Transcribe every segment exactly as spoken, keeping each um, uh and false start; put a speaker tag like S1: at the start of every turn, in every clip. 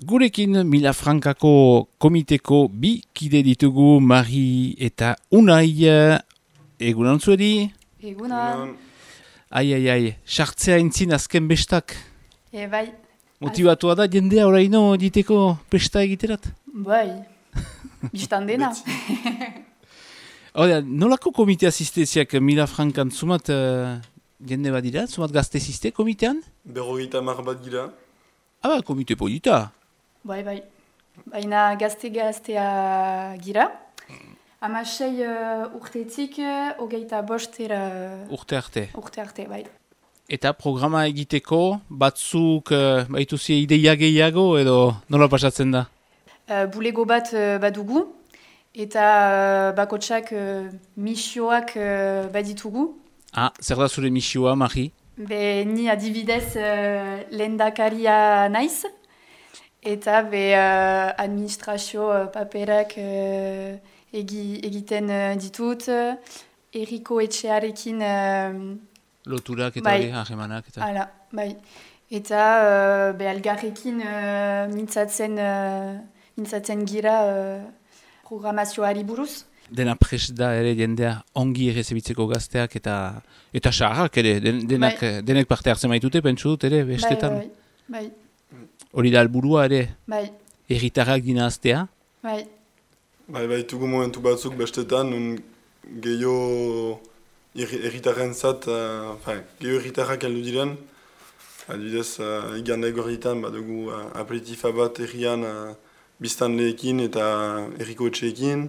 S1: Gurekin Milafrankako komiteko bi kide ditugu Mari eta Unai. Egunan zueri?
S2: Egunan.
S1: Ai, ai, ai, sartzea entzin azken bestak.
S2: E, bai.
S1: Motibatua da jendea oraino diteko pesta egiterat?
S2: Bai. Bistan dena.
S1: Hora, nolako komite asistenziak Milafrankan zumat uh, jende bat dira? Zumat gazte ziste komitean?
S3: Berrogeita mar bat gira.
S1: Ah, ba, komite polita.
S2: Bai, bai. Baina gazte-gaztea gira. Hamasei uh, urtetik, uh, hogeita bostera...
S1: Urte arte.
S2: Urte arte, bai.
S1: Eta programa egiteko, batzuk uh, baituzi ideia gehiago edo nola pasatzen da?
S2: Uh, bulego bat uh, badugu, eta uh, bakotsak uh, misioak uh, baditugu.
S1: Ah, zer da zure misioa, Mari?
S2: Be, ni adibidez uh, lehendakaria naiz, eta be uh, administrazio uh, paperak uh, egi, egiten uh, ditut, uh, Eriko etxearekin... Uh,
S1: Loturak eta
S2: bai.
S1: hori, ahemanak eta...
S2: Hala, bai. Eta uh, be algarrekin uh, mintzatzen, uh, mintzatzen gira uh, programazioari buruz.
S1: Dena prest da ere jendea ongi errezebitzeko gazteak eta eta saharrak ere, den, denak,
S2: bai.
S1: denek parte hartzen baitute, pentsu dut ere, bestetan.
S2: Bai, bai, bai.
S1: Hori da helburua ere,
S2: Bai,
S1: erritarrak dina aztea.
S2: bai.
S3: Bai, baitugu momentu batzuk bestetan, un gehiago erritarren zat, uh, gehiago erritarrak heldu diren. Adibidez, uh, igande gorritan badugu uh, aperitifa bat errian uh, biztanleekin eta erriko etxeekin.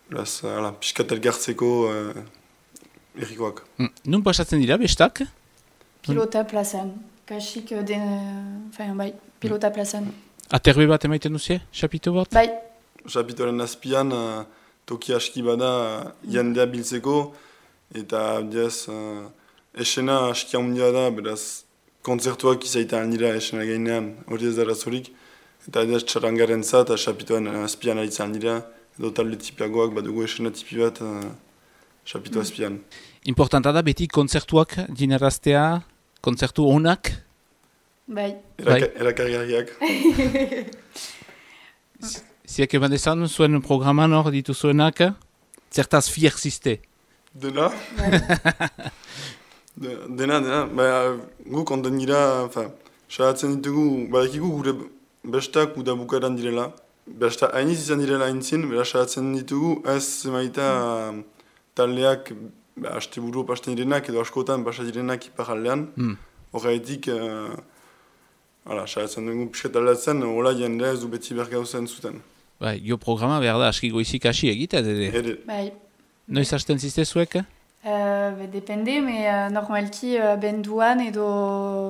S3: Beraz, uh, piskat elgartzeko uh, errikoak.
S1: Mm. Nun pasatzen dira, bestak?
S2: Pilota plazan. Kasik den... Enfin, bai, pilota plazan.
S1: Aterbe bat emaiten duzie, xapito bat?
S2: Bai,
S3: Chapitoren azpian, uh, toki aski bada uh, jendea biltzeko, eta abdiaz, uh, esena aski handia da, beraz, kontzertuak izaitan dira esena gainean, hori ez dara zorik, eta abdiaz txarangaren zat, chapitoren azpian aritzen dira, edo talde tipiagoak badugu esena tipi bat uh, chapito mm. azpian.
S1: Importanta da beti kontzertuak dinaraztea, kontzertu onak?
S2: bai.
S3: Eraka, Erakargarriak.
S1: Ziak eman dezan, zuen programan hor dituzuenak, zertaz fier ziste.
S3: Dena? De, dena, dena. Ba, gu konten gira, salatzen ditugu, badakigu gure bestak uda bukaeran direla. Besta hainiz izan direla haintzin, bera salatzen ditugu ez zemaita mm. taldeak, ba, haste buru pasten direnak edo askotan basa direnak iparaldean. Mm. Horretik, uh, hala, salatzen dugu pisket aldatzen, hola jendea ez du beti bergauzen zuten.
S1: Bai, jo programa behar da aski goizik hasi egiten, ere.
S3: Ere.
S2: Bai.
S1: Noiz hasten ziste zuek?
S2: Uh, be, depende, me uh, normalki uh, benduan edo...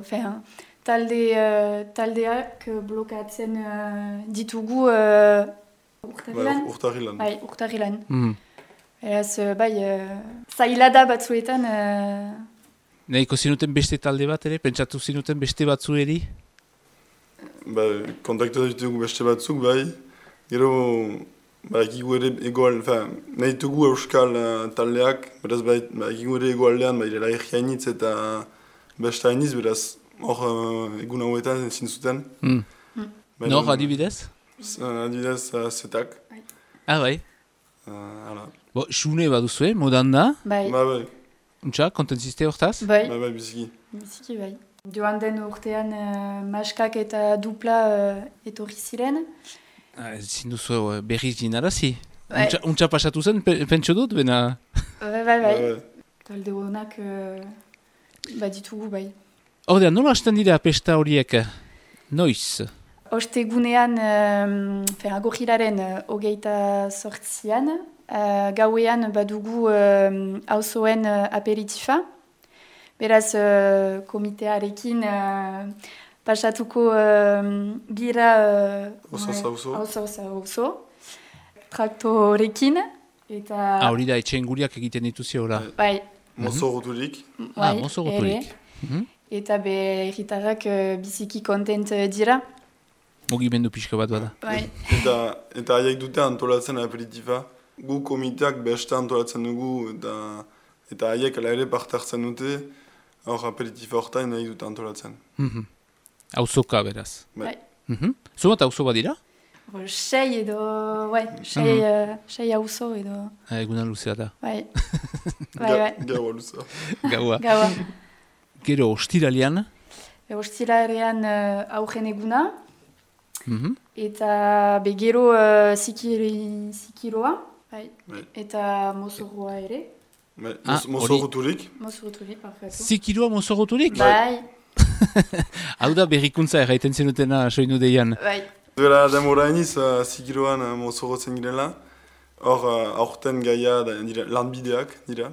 S2: Enfin, talde, uh, taldeak blokatzen uh, ditugu uh, urtarrilan.
S3: Bai, urtarrilan.
S2: Bai, urtarrilan.
S1: Mm.
S2: Eraz, uh, bai, uh, zaila da batzuetan... Uh,
S1: Nahiko zinuten beste talde bat ere? Pentsatu zinuten beste batzueri?
S3: Ba, kontaktatu ditugu beste batzuk, bai. Gero, ba, egigu ere egoal, nahi dugu euskal uh, taldeak, beraz, ba, egigu ere egoaldean, ba, irela erriainitz eta beste hainiz, beraz, hor uh, egun hauetan ezin zuten.
S1: Mm.
S2: mm.
S1: Nor, adibidez?
S3: Uh, adibidez, uh, zetak.
S1: Ah, bai.
S3: Uh,
S1: Bo, xune baduzue, modan da?
S2: Bai.
S3: Ba, bai.
S1: Untxa, konten ziste hortaz?
S2: Bai.
S3: Ba, bai, biziki.
S2: Biziki, bai. Joan den urtean uh, maskak eta dupla uh, etorri ziren.
S1: Ah, ezin duzu uh, berriz dinarazi.
S2: Bai.
S1: Untxa, untxa pasatu zen, pe, pentsu dut, bena...
S2: Bai, bai, bai.
S3: Ba,
S2: Talde honak uh, baditugu, bai.
S1: Hordean, nola hasten dira pesta horiek? Noiz?
S2: Ostegunean, um, agorrilaren uh, hogeita sortzian, uh, gauean badugu um, auzoen uh, aperitifa. Beraz, uh, komitearekin uh, pasatuko uh, gira... Uh,
S3: Oso zauzo.
S2: Oso zauzo. Traktorekin. Eta...
S1: Ah, hori da, etxeen guriak egiten dituzio, ora.
S2: Bai.
S3: Mozo roturik.
S1: Ah, mozo goturik.
S2: Mm Eta be erritarrak uh, biziki kontent dira.
S1: Mugimendu pixka bat bada.
S2: Bai.
S3: Eta, eta haiek dute antolatzen aperitifa. Gu komiteak beste antolatzen dugu eta eta haiek ala ere parte hartzen dute. Hor aperitifa horretain nahi dute antolatzen.
S1: Mm -hmm. Auzoka beraz.
S3: Bai.
S1: Mhm. Zumat auzo badira?
S2: Bo, sei edo, bai, sei,
S1: Mhm.
S2: uh, sei auzo edo,
S1: Ah, eguna luzea da.
S2: bai, bai, bai,
S3: Gaua luza.
S1: Gaua.
S2: gaua.
S1: Gero, ostiralian.
S2: E, Ostilarean uh, aurren eguna,
S1: Mhm.
S2: eta be gero uh, zikiri, zikiroa, bai,
S3: Bai.
S2: eta mozorroa ere,
S3: Bai,
S1: Ah,
S3: moz- mozorroturik.
S2: mozorroturi, parkatu.
S1: Zikiroa mozoroturik?
S2: Bai,
S1: Hau da berrikuntza erraiten zenutena soinu deian.
S2: bai,
S3: Duela demora iniz, uh, zigiroan uh, mozorrotzen girela. Hor, uh, aurten gaia da, dira, lanbideak dira.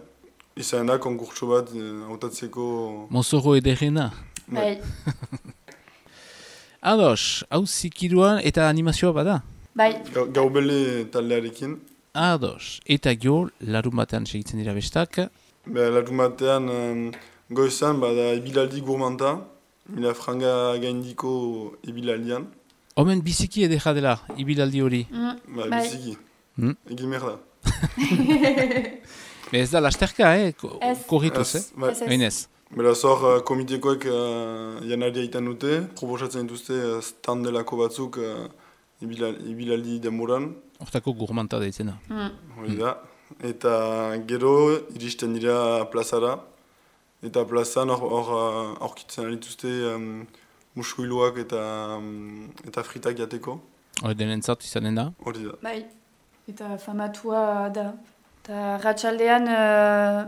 S3: Izan da, konkurtso bat uh, hautatzeko...
S1: Mozoro ederrena.
S2: bai,
S1: Ados, hau zikiroan eta animazioa bada.
S2: bai,
S3: Gau- Gaubele taldearekin.
S1: Ados, eta gio, larun batean segitzen dira bestak.
S3: Be, larun batean um, goizan bada ibilaldi gourmanta. Mila franga gaindiko ibilaldian.
S1: Omen biziki edera dela, ibilaldi hori.
S2: mm,
S3: Ba,
S2: Bai.
S3: biziki.
S1: Mm.
S3: Egin behar da.
S1: Ez da lasterka, eh? Ko-
S2: Ez.
S1: Korrituz, eh?
S3: Ez, bai.
S2: Ez, ez.
S1: Oinez.
S3: Beraz hor, uh, komitekoek uh, janari aitan dute, proposatzen dituzte uh, standelako batzuk uh, ibilal, ibilaldi demoran,
S1: Hortako gourmanta deitzena.
S2: mm,
S3: hori da. Eta gero iristen dira plazara, eta plazan hor hor, uh, aurkitzen dituzte um, muskuiluak eta, um, eta fritak jateko,
S1: Hori denentzat izanen da.
S3: hori da.
S2: bai, eta famatua da. Eta ratxaldean uh,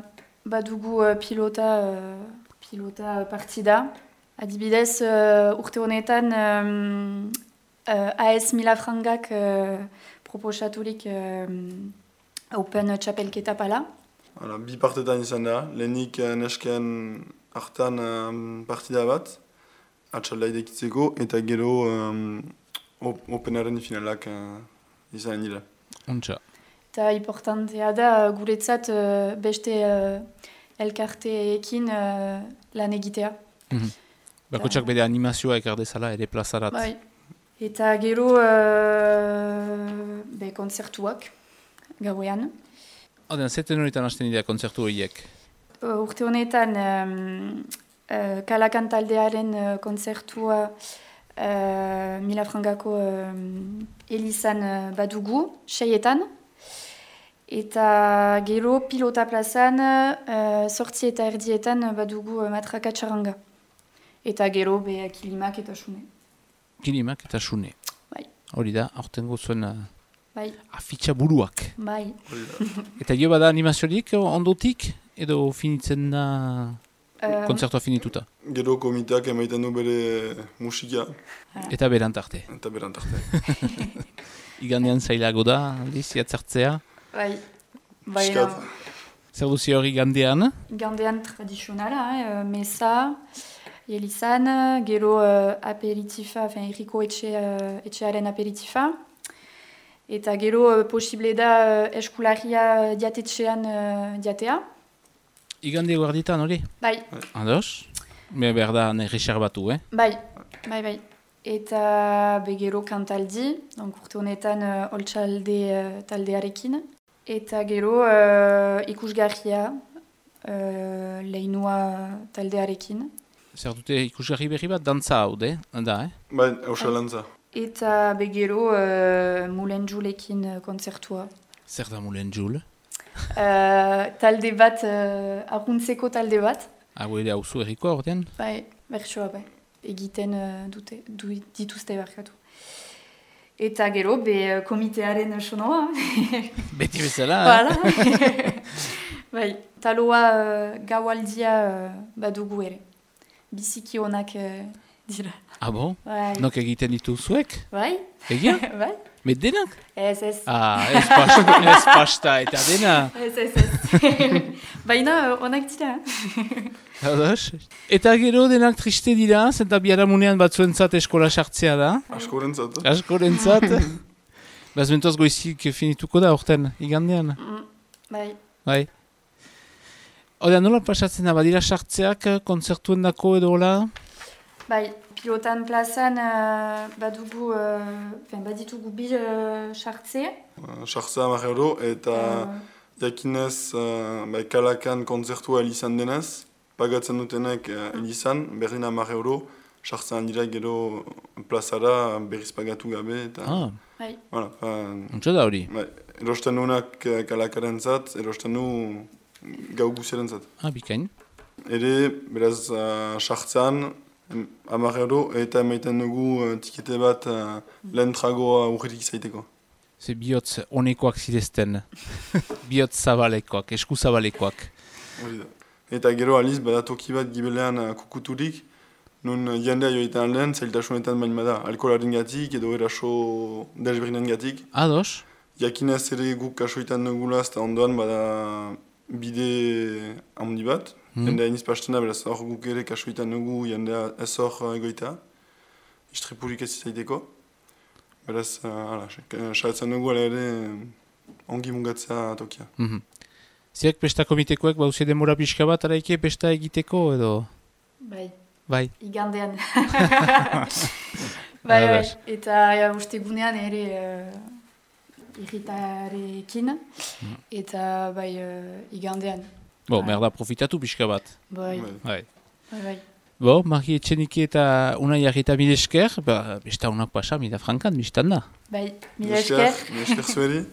S2: badugu uh, pilota, uh, pilota partida. Adibidez, uh, urte honetan um, uh, A S Mila Frangak uh, proposaturik um, Open Txapelketa pala.
S3: Hala, bi partetan izan da, lehenik uh, nesken hartan um, partida bat, atxaldai dekitzeko, eta gero um, op openaren finalak uh, izan dira.
S1: Ontsa.
S2: Eta importantea da guretzat uh, beste uh, elkarteekin uh, lan egitea.
S1: Mhm. Bakotxak bere animazioa ekar dezala ere plazarat.
S2: Bai. Eta gero uh, be kontzertuak gauean.
S1: Oden, zeten horietan hasten dira kontzertu horiek.
S2: Uh, urte honetan um, uh, Kalakan taldearen uh, kontzertua uh, Mila Frangako um, Elizan uh, badugu, seietan. Eta gero pilota plazan uh, sortzi eta erdietan badugu uh, matraka txaranga. Eta gero be kilimak eta sune.
S1: Kilimak eta sune.
S2: Bai.
S1: Hori da, aurtengo zuen uh,
S2: Bai,
S1: afitxa buruak.
S2: bai.
S3: Hori da.
S1: Eta jo bada animaziorik ondotik, edo finitzen da
S2: Uh,
S1: kontzertua finituta.
S3: Gero komiteak emaiten du bere musika,
S1: Eta berant arte.
S3: eta berant arte.
S1: Igandean zailago da, aldiz, jatzartzea.
S2: bai. Bai,
S3: Piskat.
S1: Zer duzi hori gandean?
S2: Gandean tradizionala, eh, mesa, Elizan, gero uh, aperitifa, enfin, Eriko etxe, uh, etxearen aperitifa. Eta gero uh, posible da uh, eskularia diatetxean uh, diatea.
S1: Igande guarditan hori?
S2: Bai,
S1: Ados? Be behar da nerrexar batu, eh?
S2: bai, bai, bai. Eta be gero kantaldi, donc urte honetan uh, oltsalde uh, taldearekin. Eta gero uh, ikusgarria uh, leinua taldearekin.
S1: Zer dute ikusgarri berri bat, dantza hau, de? Da, eh?
S3: Bai, hausalantza.
S2: Eta be gero uh, Mulen Julekin uh, kontzertua.
S1: Zer da mulen jul?
S2: Uh, talde bat, uh, arruntzeko talde bat.
S1: Hau ere hauzu erriko ordean?
S2: Bai, bertsoa bai. Egiten uh, dute, du, dituzte barkatu. Eta gero, be uh, komitearen sonoa.
S1: Beti bezala, eh?
S2: Voilà. Bai, taloa uh, gaualdia uh, badugu ere. Biziki onak uh, dira.
S1: Ah bon?
S2: Bai,
S1: Nok egiten ditu zuek?
S2: bai,
S1: Egia?
S2: bai.
S1: Met denak?
S2: Ez, ez.
S1: Ah, ez pasta, ez pasta eta dena.
S2: Ez, ez, ez. Baina uh, onak dira.
S1: Ados? Eta gero denak triste dira, zenta biharamunean batzuentzat eskola sartzea da.
S3: Askorentzat.
S1: Askorentzat. Baz bentoz goizik finituko da orten, igandean.
S2: Mm, bai.
S1: Bai. Oda, nola pasatzen da, badira sartzeak kontzertuen dako edo hola?
S2: Bai, pilotan plazan uh, badugu, uh, fen, baditugu bi uh, sartze.
S3: Sartza hamar euro, eta
S2: Uh,
S3: jakinez uh, bai, Kalakan kontzertua elizan denez, pagatzen dutenek uh, elizan, berdin hamar euro, sartzen dira gero plazara berriz pagatu gabe, eta...
S1: Ah,
S2: Bai.
S3: Voilà, fa,
S1: untsa da hori.
S3: bai, erosten nuenak eh, kalakaren zat, erosten nu gau guziaren zat.
S1: Ah, bikain.
S3: Ere, beraz, uh, sartzen, hamar euro, eta emaiten dugu uh, tikete bat uh, lehen tragoa urririk zaiteko.
S1: Ze bihotz honekoak zirezten. Bihotz zabalekoak, esku zabalekoak.
S3: Hori da. Eta gero aliz, bada toki bat gibelean uh, kukuturik, nun uh, jendea joetan lehen, zailtasunetan bain bada, alkoholaren gatik edo eraso desberinen gatik.
S1: Ados?
S3: Jakinez ere guk kasoitan dugula, eta ondoan bada bide handi bat.
S1: Hmm.
S3: Jendea iniz pastena, beraz hor guk ere kasoitan dugu, jendea ez hor uh, egoita. Istripurik ez zaiteko. Beraz, hala, uh, saiatzen dugu ala ere uh, ongi mungatzea tokia.
S1: Mhm. Ziak pesta komitekoek bauze demora pixka bat araike pesta egiteko edo?
S2: Bai.
S1: Bai.
S2: Igandean. bai, bai.
S1: Ados.
S2: Eta ja, uste gunean ere uh, irritarekin. Eta bai, uh, igandean.
S1: Bo,
S2: Bai.
S1: merda profitatu pixka bat.
S2: Bai,
S3: Bai.
S1: Bai.
S2: bai, bai.
S1: Bo, Mari Etxenike eta Unai Arreta mil esker, ba, besta unak pasa, mida frankan, biztan da.
S2: Bai, mila esker.
S3: Mila esker zueri.